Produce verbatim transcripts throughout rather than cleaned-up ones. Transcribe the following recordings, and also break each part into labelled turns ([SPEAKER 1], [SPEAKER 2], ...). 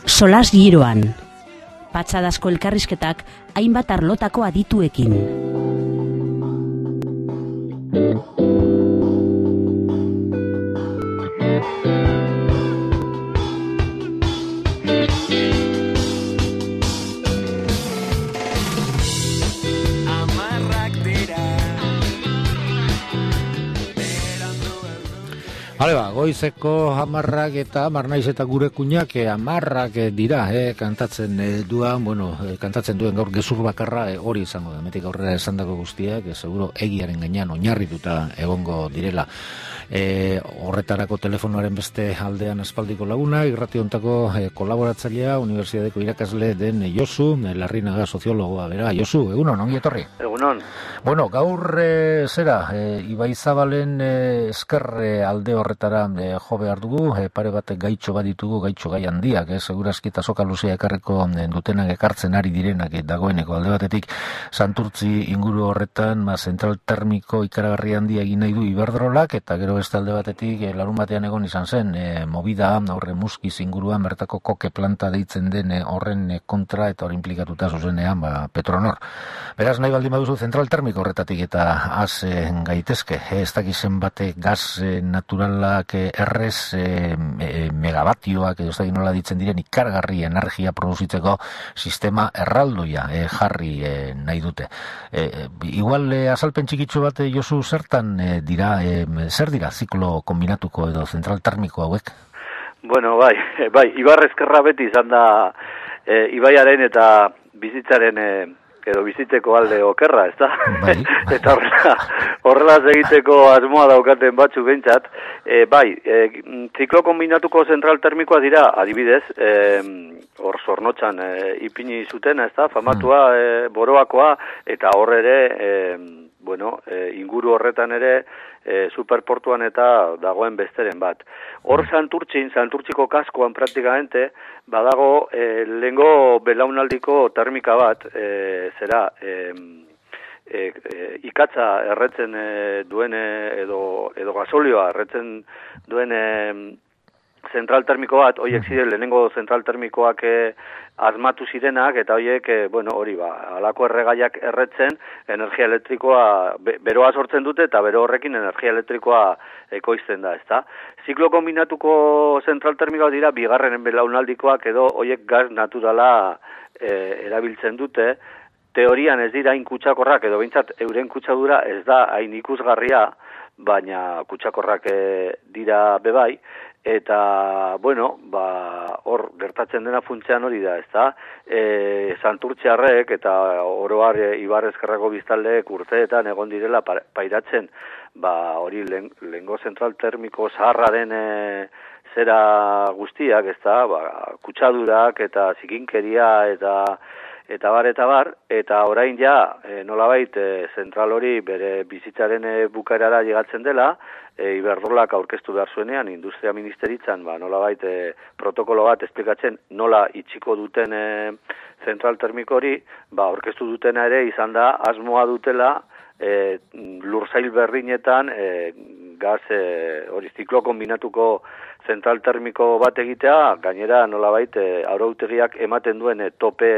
[SPEAKER 1] Solas giroan. Patxadazko elkarrizketak hainbat arlotako adituekin.
[SPEAKER 2] Hale ba, goizeko hamarrak eta hamar naiz eta gure kuñak hamarrak dira, eh, kantatzen eh, duan, bueno, eh, kantatzen duen gaur gezur bakarra eh, hori izango da, metik aurrera esandako guztiak, eh, seguro egiaren gainean oinarrituta egongo direla. E, horretarako telefonoaren beste aldean aspaldiko laguna, irrati hontako e, kolaboratzailea, Unibertsitateko irakasle den Josu, e, Larrinaga soziologoa, bera, Josu, egunon, ongi etorri?
[SPEAKER 3] Egunon.
[SPEAKER 2] Bueno, gaur e, zera, e, Ibaizabalen e, esker e, alde horretara e, jo behar dugu, e, pare bat gaitxo bat ditugu, gaitxo gai handiak, e, segurazki eta soka luzea ekarreko e, dutenak ekartzen ari direnak e, dagoeneko alde batetik, Santurtzi inguru horretan, ma, zentral termiko ikaragarri handia egin nahi du Iberdrolak, eta gero beste alde batetik e, larun batean egon izan zen e, movida horre muskiz inguruan bertako koke planta deitzen den e, horren e, kontra eta hori implikatuta zuzenean ba, Petronor. Beraz nahi baldin baduzu zentral termiko horretatik eta az e, gaitezke, e, ez dakizen bate gaz e, naturalak e, errez e, e, megabatioak edo ez dakit nola ditzen diren ikargarri energia produzitzeko sistema erraldoia e, jarri e, nahi dute. E, e, igual e, azalpen txikitsu bat e, Josu zertan e, dira, e, zer dira ziklo kombinatuko edo zentral termiko hauek?
[SPEAKER 3] Bueno, bai, bai, Ibar Ezkerra beti izan da e, Ibaiaren eta bizitzaren e, edo bizitzeko alde okerra, ez da?
[SPEAKER 2] Bai, bai.
[SPEAKER 3] Eta horrela, horrela egiteko asmoa daukaten batzu behintzat. E, bai, e, ziklo kombinatuko zentral termikoa dira, adibidez, e, hor zornotxan e, ipini zuten, ez da? Famatua, e, boroakoa, eta hor ere, e, bueno, e, inguru horretan ere, E, superportuan eta dagoen besteren bat. Hor Santurtzin, Santurtziko kaskoan praktikamente, badago e, lehengo belaunaldiko termika bat, e, zera, e, e, e, ikatza erretzen e, duen e, edo, edo gasolioa erretzen duen e, zentral termiko bat, horiek ziren lehenengo zentral termikoak e, asmatu zirenak, eta horiek, e, bueno, hori ba, alako erregaiak erretzen, energia elektrikoa, be, beroa sortzen dute, eta bero horrekin energia elektrikoa ekoizten da, ezta? Ziklo kombinatuko zentral termikoak dira, bigarren belaunaldikoak edo horiek gaz naturala e, erabiltzen dute, teorian ez dira hain kutsakorrak, edo behintzat euren kutsadura ez da hain ikusgarria, baina kutsakorrak e, dira bebai, eta, bueno, ba, hor gertatzen dena funtzean hori da, ezta? E, Santurtziarrek eta oroar e, Ibar Ezkerrako biztaldeek urteetan egon direla pairatzen, ba, hori lehengo zentral termiko zaharra den e, zera guztiak, ezta? Ba, kutsadurak eta zikinkeria eta eta bar, eta bar, eta orain ja, e, nolabait, e, zentral hori bere bizitzaren e, bukaerara llegatzen dela, e, Iberdrolak aurkeztu behar zuenean, industria ministeritzan, ba, nolabait, e, protokolo bat esplikatzen nola itxiko duten e, zentral termiko hori, ba, aurkeztu dutena ere izan da, asmoa dutela, e, lursail berdinetan, e, gaz, e, hori ziklo kombinatuko zentral termiko bat egitea, gainera nolabait, e, arautegiak ematen duen e, tope,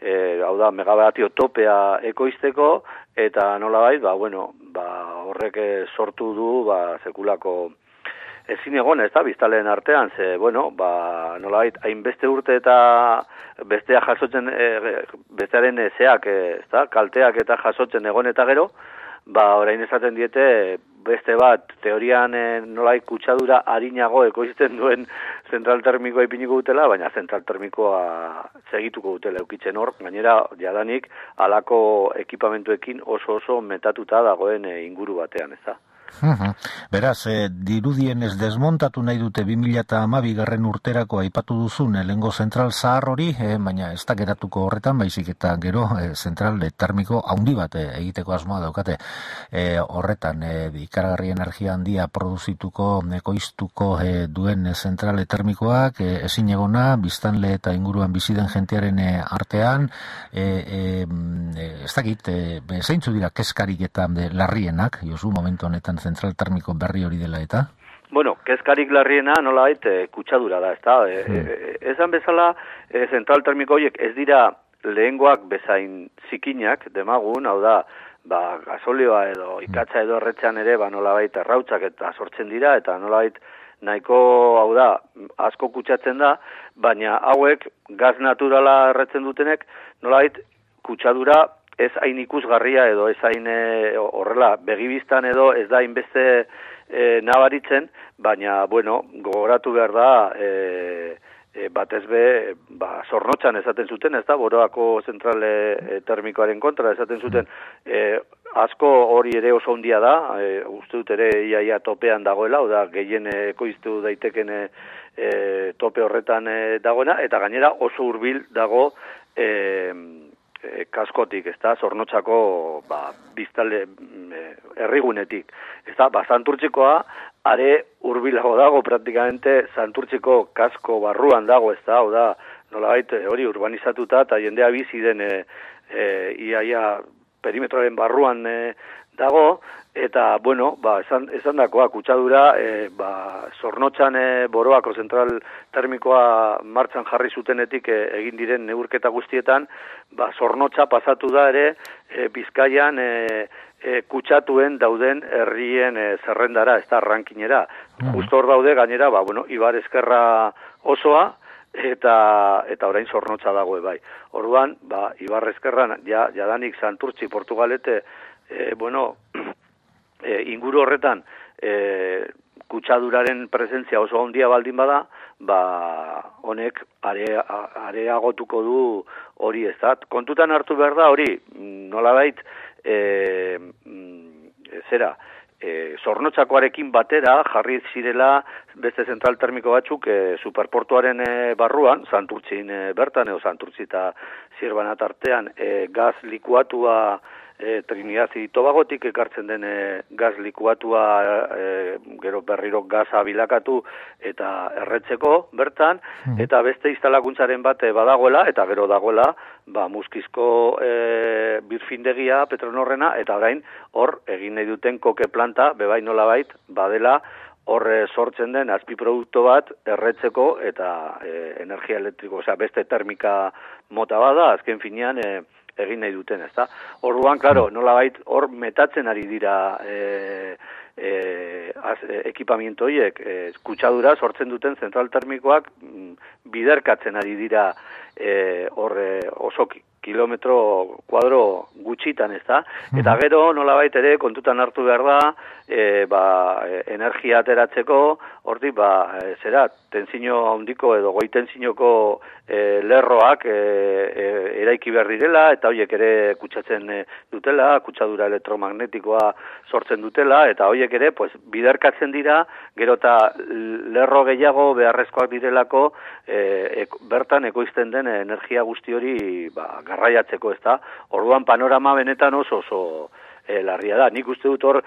[SPEAKER 3] E, hau da, megabatio topea ekoizteko, eta nolabait, ba, bueno, ba, horrek sortu du, ba, sekulako ezin egon, ez da, biztaleen artean, ze, bueno, ba, nolabait, hainbeste urte eta bestea jasotzen, e, bestearen ezeak, ez da, kalteak eta jasotzen egon eta gero, ba, orain esaten diete, beste bat, teorian e, nolai kutsadura harinago ekoizten duen zentral termikoa ipiniko dutela, baina zentral termikoa segituko dutela eukitzen hor, gainera jadanik halako ekipamentuekin oso oso metatuta dagoen e, inguru batean, ez da?
[SPEAKER 2] Uhum. Beraz, eh, dirudienez desmontatu nahi dute bi mila hamabi garren urterako aipatu duzun lehengo zentral zahar hori, eh, baina ez da geratuko horretan, baizik eta gero eh, zentral termiko haundi bat eh, egiteko asmoa daukate eh, horretan eh, ikaragarri energia handia produzituko, ekoiztuko eh, duen zentral termikoak eh, ezin egona, biztanle eta inguruan bizi den jentearen eh, artean, eh, eh, ez dakit, eh, zeintzu dira kezkarik eta eh, larrienak, Josu, momentu honetan zentral termiko berri hori dela eta?
[SPEAKER 3] Bueno, kezkarik larriena nolabait e, kutsadura da, ezta? E, e, esan bezala, e, zentral termiko horiek ez dira lehengoak bezain zikinak, demagun, hau da, ba, gasolioa edo ikatza edo erretzean ere, ba, nolabait errautzak eta sortzen dira, eta nolabait nahiko, hau da, asko kutsatzen da, baina hauek gaz naturala erretzen dutenek, nolabait kutsadura ez hain ikusgarria edo ez hain e, horrela, begibistan edo ez da inbeste e, nabaritzen, baina, bueno, gogoratu behar da, e, E, batez be, ba, Zornotzan esaten zuten, ez da, Boroako zentrale e, termikoaren kontra esaten zuten, e, asko hori ere oso handia da, e, uste dut ere iaia topean dagoela, oda gehien ekoiztu daiteken e, e, tope horretan e, dagoena, eta gainera oso hurbil dago e, e, kaskotik, ez da, Zornotzako ba, biztale e, herrigunetik, ez da, ba, Santurtzikoa, are hurbilago dago, praktikamente Santurtziko kasko barruan dago, ez da, hau da, nolabait hori urbanizatuta eta jendea bizi den e, e, iaia perimetroaren barruan e, dago, eta, bueno, ba, esan, esan dakoa, kutsadura, e, ba, Zornotzan e, Boroako zentral termikoa martxan jarri zutenetik e, egin diren neurketa guztietan, ba, Zornotza pasatu da ere, e, Bizkaian, e, E, kutsatuen dauden herrien e, zerrendara, ez da, rankinera. Mm. Justo hor daude, gainera, ba, bueno, Ibar Ezkerra osoa, eta eta orain Zornotza dago, bai. Orduan, ba, Ibar Ezkerran, ja, jadanik Santurtzi, Portugalete, e, bueno, e, inguru horretan, e, kutsaduraren presentzia oso handia baldin bada, ba, honek are, areagotuko du hori, ez da. Kontutan hartu behar da hori, nolabait, E, zera, e, Zornotzakoarekin batera jarri zirela beste zentral termiko batzuk e, superportuaren e, barruan, Santurtzin e, bertan, edo Santurtzi eta Zirbanat artean, e, gaz likuatua e, Trinidad y Tobagotik ekartzen den e, gaz likuatua e, gero berriro gaza bilakatu eta erretzeko bertan, mm. eta beste instalakuntzaren bat e, badagoela, eta gero dagoela, ba, Muskizko e, birfindegia Petronorrena, eta orain hor egin nahi duten koke planta, bebai nolabait, badela hor e, sortzen den azpiproduktu bat erretzeko eta e, energia elektriko, osea beste termika mota bada, azken finean e, egin nahi duten, ezta? Orduan, claro, nolabait hor metatzen ari dira e, e, az, e, ekipamiento horiek, e, kutsadura sortzen duten zentral termikoak m, biderkatzen ari dira e, hor e, oso kilometro kuadro gutxitan, ez da? Eta gero, nolabait ere, kontutan hartu behar da, e, ba, energia ateratzeko, hortik, ba, e, zera, tentzino handiko edo goi tentzinoko e, lerroak e, e, eraiki behar direla, eta horiek ere kutsatzen e, dutela, kutsadura elektromagnetikoa sortzen dutela, eta horiek ere, pues, biderkatzen dira, gero eta lerro gehiago beharrezkoak direlako, e, e, bertan ekoizten den energia guzti hori, ba, garraiatzeko, ez da. Orduan panorama benetan oso oso e, larria da. Nik uste dut hor,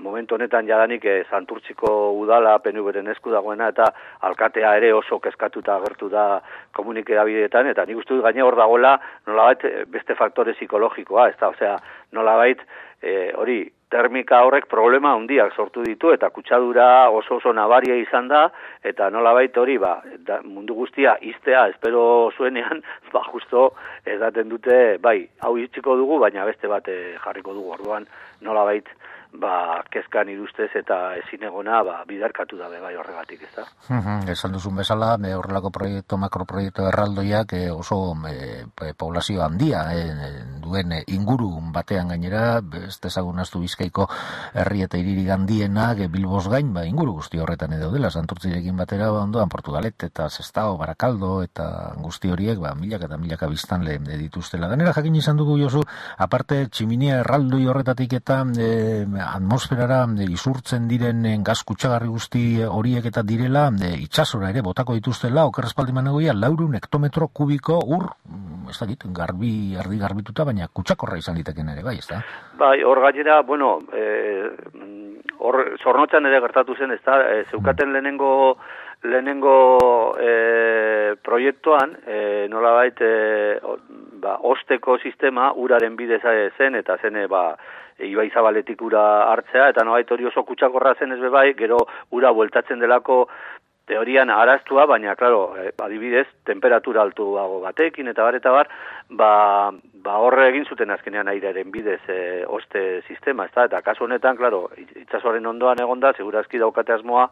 [SPEAKER 3] momentu honetan jadanik e, Santurtziko udala P N V-ren esku dagoena, eta alkatea ere oso kezkatuta agertu da komunikabideetan, eta nik uste dut gaine hor dagoela nolabait beste faktore psikologikoa, ez da, osea, nolabait e, hori, termika horrek problema handiak sortu ditu, eta kutsadura oso oso nabaria izan da, eta nolabait hori, ba, da, mundu guztia iztea espero zuenean, ba, justo edaten dute, bai, hau itxiko dugu, baina beste bat e, jarriko dugu, orduan nolabait, ba, kezkan irustez eta ezinegona, ba, bidarkatu dabe bai horregatik, ez da.
[SPEAKER 2] Uh-huh. Esan duzun bezala, e, horrelako proiektu, makroproiektu erraldoiak e, oso e, poblazio handia e, duen e, inguru batean gainera, ez dezagunaztu Bizkaiko herri eta hiririk handienak e, Bilboz gain, ba, inguru guzti horretan edo dela, Santurtzirekin batera, ba, ondoan Portugalet eta Sestao, Barakaldo eta guzti horiek, ba, milaka eta milaka biztanle dituztela. Ganera jakin izan dugu, Josu, aparte tximinia erraldoi horretatik eta e, atmosferara isurtzen diren gaz kutsagarri guzti horiek eta direla e, itsasora ere botako dituztela, okerrespaldiman egoia, laurehun hektometro kubiko ur, ez da dit, garbi, erdi garbituta, baina kutsakorra izan liteken ere, bai, ez da?
[SPEAKER 3] Bai, hor gainera, bueno, hor e, Zornotzan ere gertatu zen, ez da, e, zeukaten lehenengo lehenengo e, proiektuan, e, nolabait, e, ba, osteko sistema uraren bidez zen, eta zen, ba, Ibai Zabaletik ura hartzea, eta nolabait hori oso kutsakorra zen ez bebai, gero ura bueltatzen delako teorian araztua, baina, klaro, eh, adibidez, temperatura altuago batekin, eta bar, eta bar, ba, ba horre egin zuten azkenean airearen bidez e, oste sistema, ez da? Eta kasu honetan, klaro, itsasoaren ondoan egonda, segurazki daukate asmoa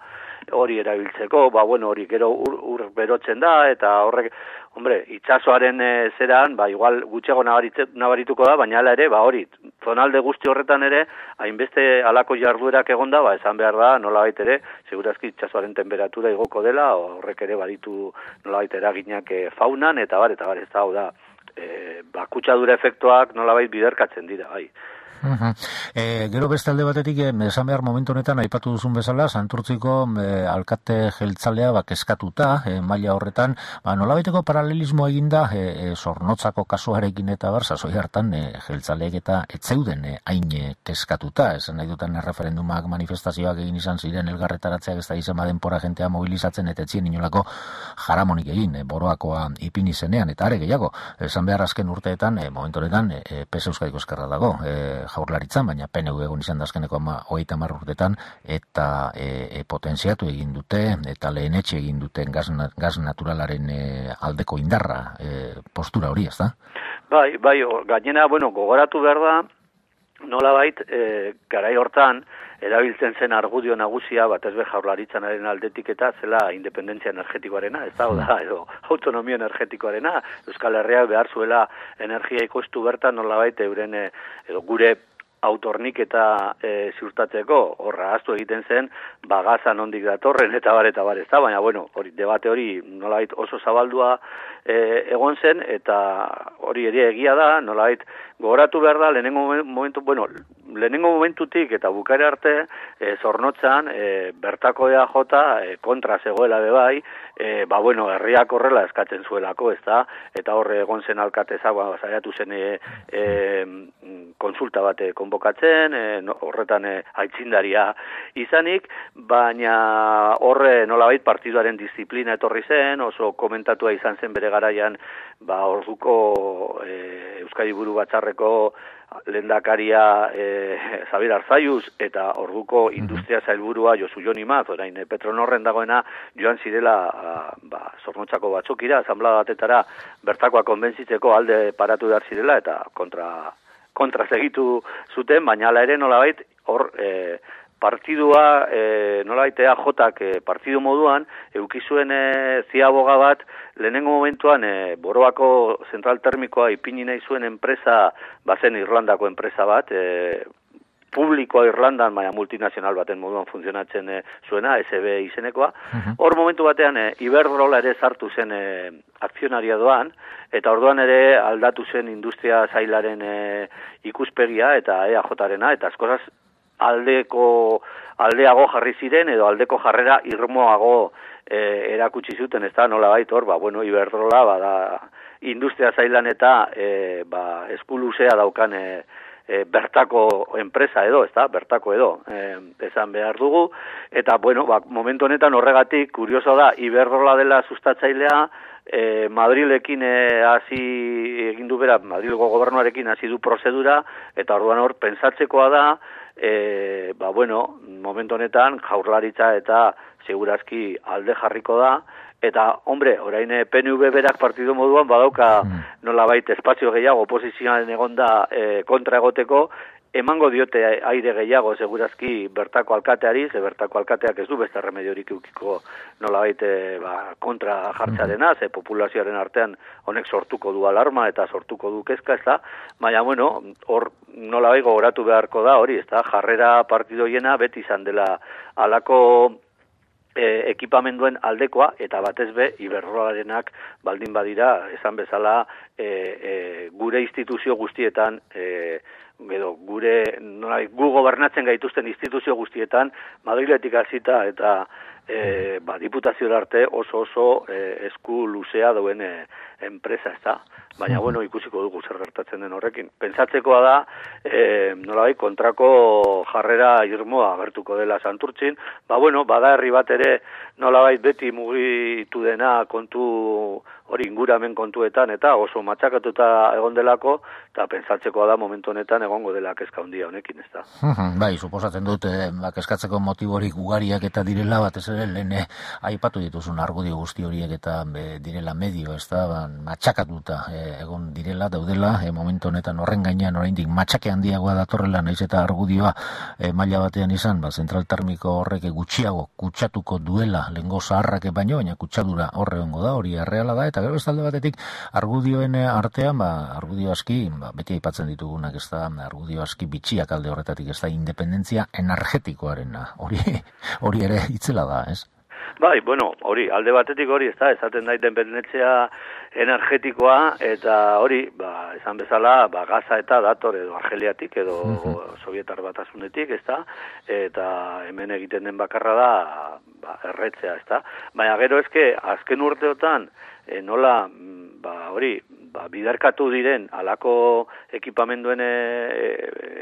[SPEAKER 3] hori erabiltzeko, ba, bueno, hori gero ur, ur berotzen da, eta horrek, hombre, itsasoaren e, zeran, ba, igual gutxego nabarituko da, baina hala ere, ba, hori, zonalde guzti horretan ere, hainbeste halako jarduerak egonda, ba, esan behar da, nolabait ere, segurazki itsasoaren temperatura igoko dela, horrek ere baditu nolabait eraginak e, faunan, eta bar, eta bar, ez da, hau da, e, ba, kutsadura efektuak nolabait biderkatzen dira, bai.
[SPEAKER 2] Uh-huh. E, gero beste alde batetik, eh, esan behar momentu honetan aipatu duzun bezala, Santurtziko eh, alkate jeltzalea bak eskatuta, eh, maila horretan, ba, nolabaiteko paralelismo eginda eh, Zornotzako kasuarekin eta bar, sasoi hartan eh, jeltzaleek eta etzeuden eh, hain eh, keskatuta, esan nahi duten referendumak manifestazioak egin izan ziren elgarretaratzeak ez da izan denpora jentea mobilizatzen eta etzien inolako jaramonik egin, eh, boroakoa ipini zenean, eta are gehiago, esan behar azken urteetan, eh, momentu honetan, eh, P S Euskadiko Ezkerra dago, eh, Jaurlaritzan, baina P N V egon izan dazkeneko hogeita hamar urtetan eta e, e, potentziatu egin dute eta lehenetxe egin duten gaz, gaz naturalaren e, aldeko indarra e, postura hori, ez da?
[SPEAKER 3] Bai, bai, gainera, bueno, gogoratu behar da, nolabait, e, garai hortan, erabiltzen zen argudio nagusia, batez be Jaurlaritzanaren aldetik eta zela independentzia energetikoarena, ez da, da, edo autonomia energetikoarena, Euskal Herriak behar zuela energia ikoiztu bertan nolabait euren, edo gure autornik eta e, ziurtatzeko, horra ahaztu egiten zen, bagazan ondik datorren, eta bar, eta bar, ez da, baina, bueno, hori, debate hori nolabait oso zabaldua e, egon zen, eta hori ere egia da, nolabait gogoratu behar da, lehenengo momentu, bueno, lehenengo momentutik eta bukaera arte, e, Zornotzan, e, bertako E A J e, kontra zegoela bebai, e, ba, bueno, herriak horrela eskatzen zuelako, ez da, eta horre egon zen alkateza, ba, saiatu zen e, e, konsulta bate konbokatzen, e, no, horretan e, aitzindaria izanik, baina horre nolabait partiduaren disiplina etorri zen, oso komentatua izan zen bere garaian, ba, orduko e, Euskadi Buru Batzarreko lehendakaria e, Xabier Arzaiuz eta orduko industria zailburua Josu Jon Imaz, orain e, Petronorren dagoena joan zirela a, ba, Zornotzako batzokira, asanblada batetara bertakoa konbentzitzeko alde paratu behar zirela eta kontra kontra segitu zuten, baina hala ere nolabait hor e, partidua e, nolabait E A Jak e, partidu moduan eukizuen e, ziaboga bat lehenengo momentuan e, Boroako zentral termikoa ipini nahi zuen enpresa bazen Irlandako enpresa bat, e, publikoa Irlandan, baina multinazional baten moduan funtzionatzen e, zuena, S B izenekoa. Hor uh-huh. momentu batean e, Iberdrola ere sartu zen e, akzionaria doan, eta orduan ere aldatu zen industria zailaren e, ikuspegia eta E A Jarena, eta askozaz aldeko aldeago jarri ziren edo aldeko jarrera irmoago e, erakutsi zuten, ez da, nola baitor, ba, bueno, Iberdrola, ba, da, industria zailan eta e, ba, eskuluzea daukan e, e, bertako enpresa edo, ez da, bertako edo, e, esan behar dugu, eta, bueno, ba, momentu honetan horregatik, kurioso da, Iberdrola dela sustatzailea, E, Madrilekin e, hasi egin du bera, Madrilgo gobernuarekin hasi du prozedura, eta orduan hor pentsatzekoa da, e, ba bueno, momentu honetan Jaurlaritza eta segurazki alde jarriko da, eta, hombre, orain P N V berak partidu moduan badauka mm. nolabait espazio gehiago oposizioaren egonda e, kontra egoteko, emango diote aire gehiago segurazki bertako alkateari, ze bertako alkateak ez du beste remediorik eukiko nolabait ba, kontra jartzearena, ze populazioaren artean honek sortuko du alarma eta sortuko du kezka, ez da, baina, bueno, hor nolabait gogoratu beharko da, hori, ez da, jarrera partidoiena beti izan dela alako E, ekipamenduen aldekoa, eta batez be, Iberdrolarenak baldin badira, esan bezala, e, e, gure instituzio guztietan, e, edo, gure, nola, gu gobernatzen gaituzten instituzio guztietan, Madriletik hasita eta e, ba, diputazio arte oso oso e, esku luzea duen e, enpresa, ez da. Baina, bueno, ikusiko dugu zer gertatzen den horrekin. Pentsatzekoa da, e, nolabait, kontrako jarrera irmoa agertuko dela Santurtzin, ba, bueno, bada herri bat ere, nolabait beti mugitu dena kontu hori inguramen kontuetan, eta oso matxakatuta egon delako, eta pentsatzekoa da momentu honetan egongo dela kezka handia honekin, ez da.
[SPEAKER 2] Bai, suposatzen dut, eh, ba, kezkatzeko motiborik ugariak eta direla, batez ere, lehen eh, aipatu dituzun argudio guzti horiek eta be, direla medio, ez da, ba, matxakatuta eh, egon direla, daudela, eh, momentu honetan horren gainean oraindik matxake handiagoa datorrela, naiz eta argudioa eh, maila batean izan, ba, zentral termiko horrek gutxiago kutsatuko duela, lehengo zaharrak baino, baina kutsadura horre hongo da, hori erreala da, eta gero bestalde batetik argudioen artean, ba, argudio aski, ba, beti aipatzen ditugunak, ez da, argudio aski bitxiak alde horretatik, ez da, independentzia energetikoarena, hori, hori ere itzela da, ez?
[SPEAKER 3] Bai, bueno, hori, alde batetik hori, ez da, esaten da independentzia energetikoa, eta hori, ba, esan bezala, ba, gaza eta dator edo Argeliatik edo uh-huh. Sovietar Batasunetik, ez da, eta hemen egiten den bakarra da, ba, erretzea, ez da. Baina gero eske, azken urteotan, e, nola, ba, hori, ba, bidarkatu diren alako ekipamenduen e,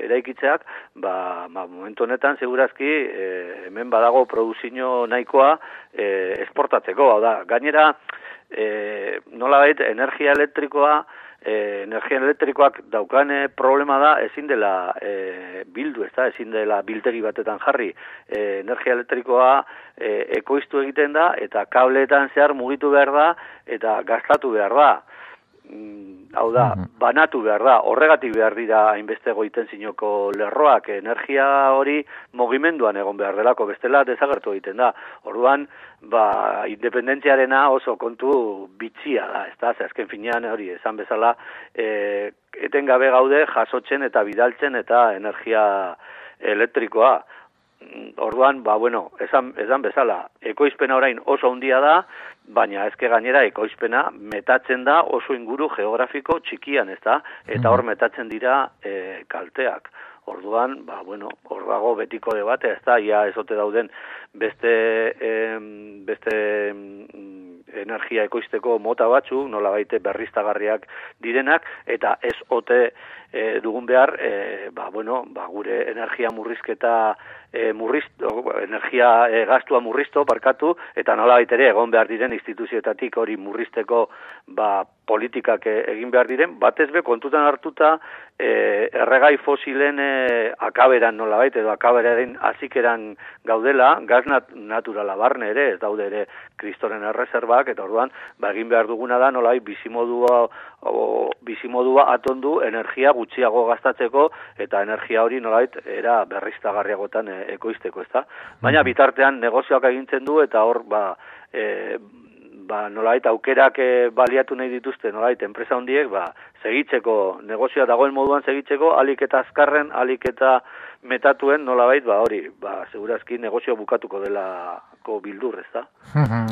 [SPEAKER 3] eraikitzeak, ba, ba, momentu honetan, segurazki, e, hemen badago produzio nahikoa e, esportatzeko, hau da, gainera, e, nola bait, energia elektrikoa, e, energia elektrikoak daukan e, problema da, ezin dela e, bildu, ez da, ezin dela biltegi batetan jarri, e, energia elektrikoa e, ekoiztu egiten da, eta kableetan zehar mugitu behar da, eta gastatu behar da. Hau da, banatu behar da, horregatik behar dira hainbeste goiten zinoko lerroak, energia hori mugimenduan egon behar delako, bestela desagertu egiten da. Orduan, ba, independentziarena oso kontu bitxia da, ez da, azken finean hori, esan bezala, e, etengabe gaude jasotzen eta bidaltzen eta energia elektrikoa. Orduan, ba, bueno, esan, esan bezala, ekoizpena orain oso handia da, baina ezke gainera ekoizpena metatzen da oso inguru geografiko txikian, ez da, eta hor metatzen dira e, kalteak. Orduan, ba, bueno, hor dago betiko debate, ez da, ia ezote dauden beste, em, beste em, energia ekoizteko mota batzuk, nola baite berriztagarriak direnak, eta ez ote e, dugun behar, e, ba, bueno, ba, gure energia murrizketa, e, murrizto, energia e, gastua murrizto, parkatu, eta nola baitere egon behar diren instituzioetatik hori murrizteko ba, politikak egin behar diren, batez be kontutan hartuta e, erregai fosilen e, akaberan nola baite, edo akaberaren azikeran gaudela, gaz nat naturala barne ere, ez daude ere kristoren erreserbak, eta orduan, ba, egin behar duguna da, nolai, bizimodua, o, bizimodua atondu energia gutxiago gastatzeko, eta energia hori nolait, era berriztagarriagotan e, ekoizteko, ezta? Baina bitartean negozioak egintzen du, eta hor, ba, e, ba, nolait, aukerak e, baliatu nahi dituzte, nolait, enpresa hondiek, ba, segitzeko, negozioa dagoen moduan segitzeko, alik eta azkarren, alik eta metatuen, nolabait, ba, hori, ba, segurazki negozio bukatuko delako bildur, ez da?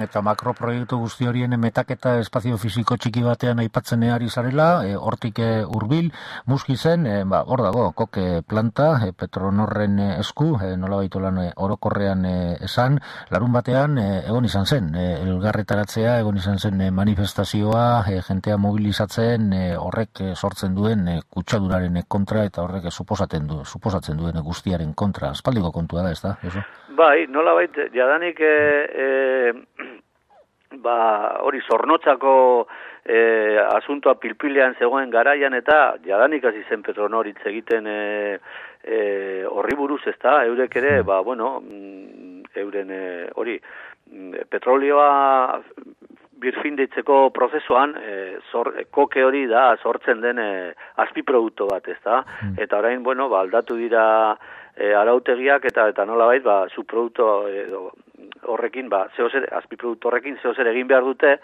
[SPEAKER 2] Eta makroproiektu guzti horien metaketa espazio fisiko txiki batean aipatzen ari zarela, e, hortik e, hurbil, muski zen, e, ba, hor dago, koke planta, e, Petronorren e, esku, e, nolabait lan e, orokorrean e, esan, larun batean, e, egon izan zen, e, elgarretaratzea, egon izan zen e, manifestazioa, e, jentea mobilizatzen, e, horrek e, sortzen duen e, kutsaduraren kontra, eta horrek e, suposatzen du, suposatzen duen guztiaren kontra, aspaldiko kontua da, ez da? Eso?
[SPEAKER 3] Bai, nola bait, jadanik e, e, ba, hori zornotzako e, asuntoa pilpilean zegoen garaian, eta jadanik hasi zen Petronoritz egiten e, e, horri buruz, ez da? Eurek ere, ba, bueno, euren e, hori, petrolioa birfinditzeko prozesuan, e, zor, koke hori da sortzen den e, azpiproduktu bat, ez da? Mm. Eta orain, bueno, ba, aldatu dira e, arautegiak eta eta nolabait, ba, subproduktu edo horrekin, ba, zeozer, azpiproduktu horrekin zeozer egin behar dute,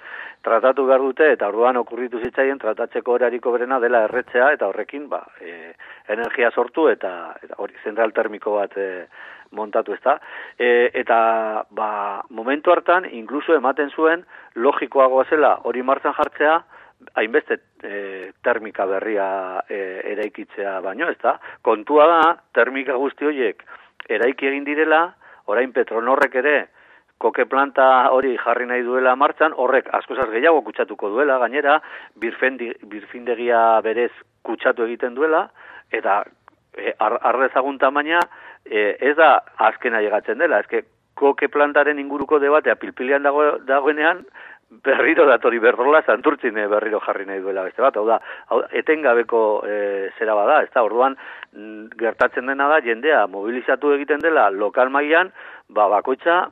[SPEAKER 3] tratatu behar dute, eta orduan okurritu zitzaien tratatzeko erariko berena dela erretzea, eta horrekin, ba, e, energia sortu eta, eta hori zentral termiko bat e, montatu, ez da? E, eta, ba, momentu hartan, inkluso ematen zuen, logikoagoa zela hori martxan jartzea, hainbeste e, termika berria e, eraikitzea baino, ez da? Kontua da, termika guzti horiek eraiki egin direla, orain Petronorrek ere, koke planta hori jarri nahi duela martxan, horrek askozaz gehiago kutsatuko duela, gainera, birfendi, birfindegia berez kutsatu egiten duela, eta e, arrezagun tamaina, e, ez da azkena llegatzen dela, ezke koke plantaren inguruko debatea pilpilean dago, dagoenean, berriro datori berrola, Santurtzin berriro jarri nahi duela beste bat, hau da, hau, etengabeko e, zera bada, ez da, orduan gertatzen dena da, jendea mobilizatu egiten dela lokal mailan, ba, bakoitza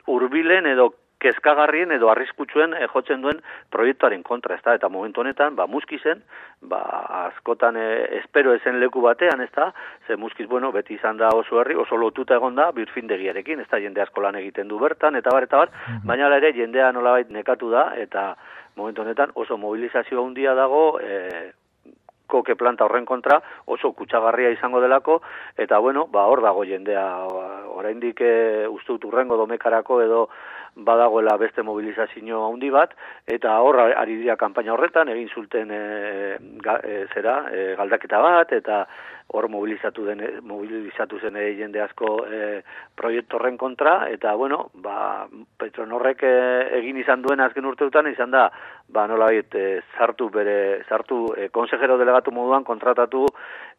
[SPEAKER 3] hurbilen edo kezkagarrien edo arriskutsuen e, jotzen duen proiektuaren kontra, ez da, eta momentu honetan, ba, Muskizen, ba, askotan e, espero ezen leku batean, ez da, ze Muskiz, bueno, beti izan da oso herri, oso lotuta egon da, birfindegiarekin, ez da, jende asko lan egiten du bertan, eta bar, eta bar, mm-hmm. baina ere, jendea nolabait nekatu da, eta momentu honetan oso mobilizazio handia dago, e, koke planta horren kontra oso kutsagarria izango delako, eta bueno, ba, hor dago jendea, oraindik e, uste dut urrengo domekarako edo badagoela beste mobilizazio handi bat, eta hor ari dira kanpaina horretan, egin zuten e, ga, e, zera, e, galdaketa bat, eta hor mobilizatu, den, mobilizatu zen e, jende asko e, proiektu horren kontra, eta bueno, ba, Petronorrek e, egin izan duen azken urteetan izan da, ba, nolabait, e, sartu bere, sartu e, konsejero delegatu moduan kontratatu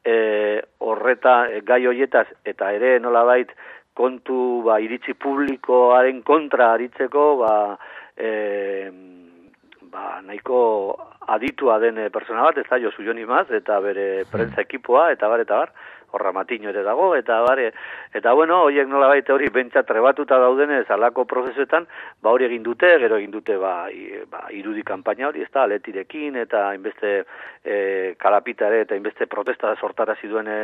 [SPEAKER 3] e, horreta e, gai hoietaz, eta ere nolabait, kontu ba, iritzi publikoaren kontra aritzeko ba, e, ba, nahiko aditua den persona bat, ez da Josu Jon Imaz, eta bere prentza ekipoa, eta bar, eta bar, horra Matiño ere dago, eta bare, eta bueno, horiek nola baita hori bentsat trebatuta daudenez alako prozesuetan, ba hori egin dute, gero egin dute ba, i, ba irudi kanpaina hori, ez da, Aletirekin, eta inbeste e, kalapitare, eta inbeste protesta sortarazi duen e,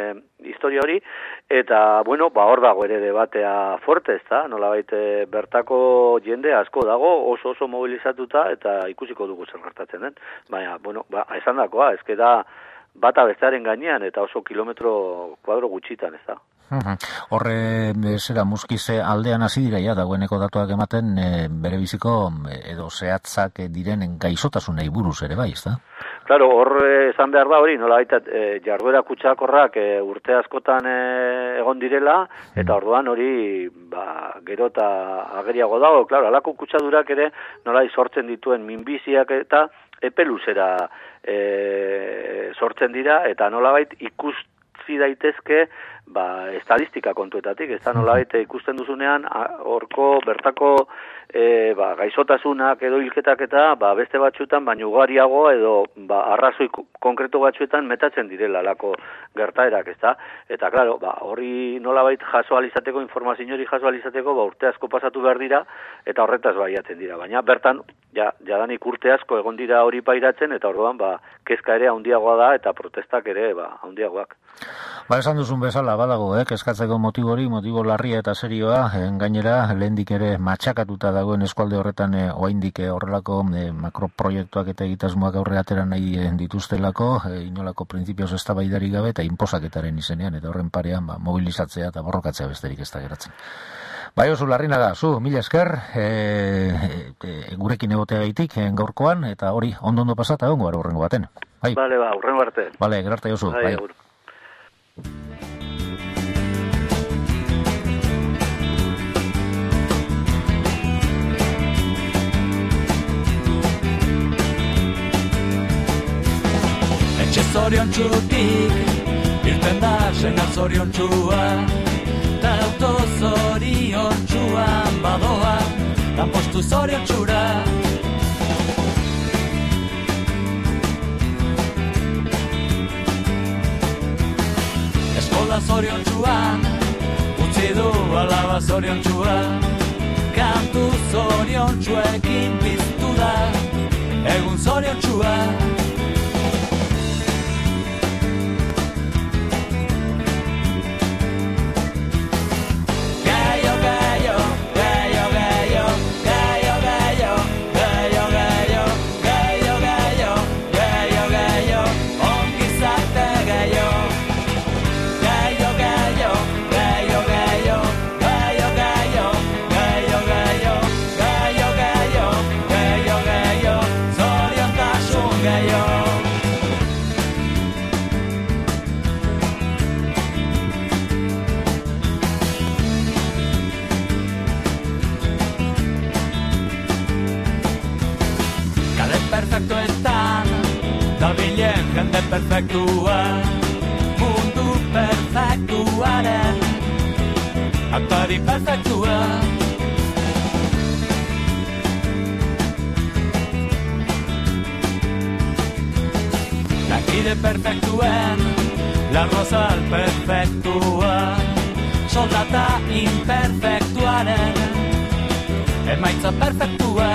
[SPEAKER 3] historia hori, eta bueno, ba hor dago ere debatea fuerte, ez da, nola baita bertako jende asko dago, oso oso mobilizatuta, eta ikusiko dugu zer gertatzen den, baina, bueno, ba, esan dakoa, ez da, bata bestearen gainean eta oso kilometro kuadro gutxitan, ez da.
[SPEAKER 2] Horre, zera, Muskize aldean hasi dira, ja, dagoeneko datuak ematen e, bere biziko edo zehatzak direnen gaixotasunei buruz ere bai, ez da?
[SPEAKER 3] Claro, hor esan behar da hori, nola baita e, jarduera kutsakorrak e, urte askotan e, egon direla, eta orduan hori ba, gero eta ageriago dago, claro, alako kutsadurak ere nola sortzen dituen minbiziak eta epe luzera e, sortzen dira, eta nolabait ikusi daitezke ba, estadistika kontuetatik, ez da nolabait ikusten duzunean horko bertako e, ba, gaixotasunak edo hilketak eta ba, beste batzuetan baino ugariago edo ba, arrazoi konkretu batzuetan metatzen direla lako gertaerak, ez da, eta claro, ba, hori nolabait jaso alizateko, informazio hori jaso alizateko, ba, urte asko pasatu behar dira, eta horretaz baiatzen dira, baina bertan, ja, jadanik urte asko egon dira hori pairatzen, eta orduan, ba, kezka ere handiagoa da, eta protestak ere, ba, handiagoak.
[SPEAKER 2] Ba, esan duzun bezala, badago, eh, kezkatzeko motibo hori, motibo larria eta serioa, eh, gainera, lehendik ere matxakatuta dagoen eskualde horretan eh, oaindik eh, horrelako eh, makroproiektuak eta egitasmoak aurre atera nahi eh, dituztelako, eh, inolako printzipioz eztabaidari gabe eta inposaketaren izenean, eta horren parean, ba, mobilizatzea eta borrokatzea besterik ez da geratzen. Bai, oso larrina da, zu, mila esker, e, e, gurekin egotea gaitik, e, gaurkoan, eta hori, ondo-ondo pasata, ongo gara horrengo baten. Bai.
[SPEAKER 3] Bale, ba, horrengo arte.
[SPEAKER 2] Bale, gerarte jozu.
[SPEAKER 3] Bai,
[SPEAKER 2] bai.
[SPEAKER 4] Etxe zorion txutik, irten da sena zorion txua, ta auto zorion txuan badoa, ta postu zorion txura. Eskola zorion txuan, utzi du alaba zorion txua, kantu zorion txuekin piztu da, egun zorion txua. Jende perfektua, mundu perfektuaren aktari perfektua. bide perfektuen larrozal perfektua, soldata imperfektuaren emaitza perfektua.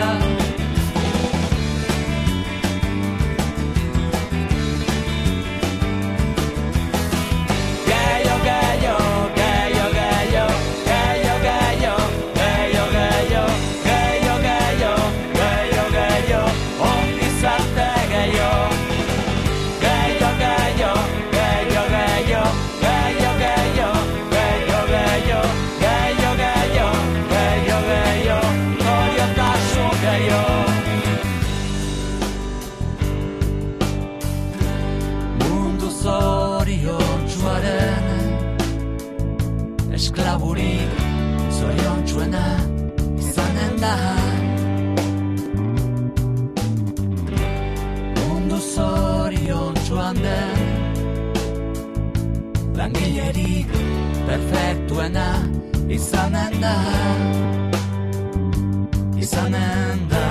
[SPEAKER 4] Esklaburik zoriontsuena izanen da, mundu zoriontsuan den langilerik perfektuena izanen da, izanen da.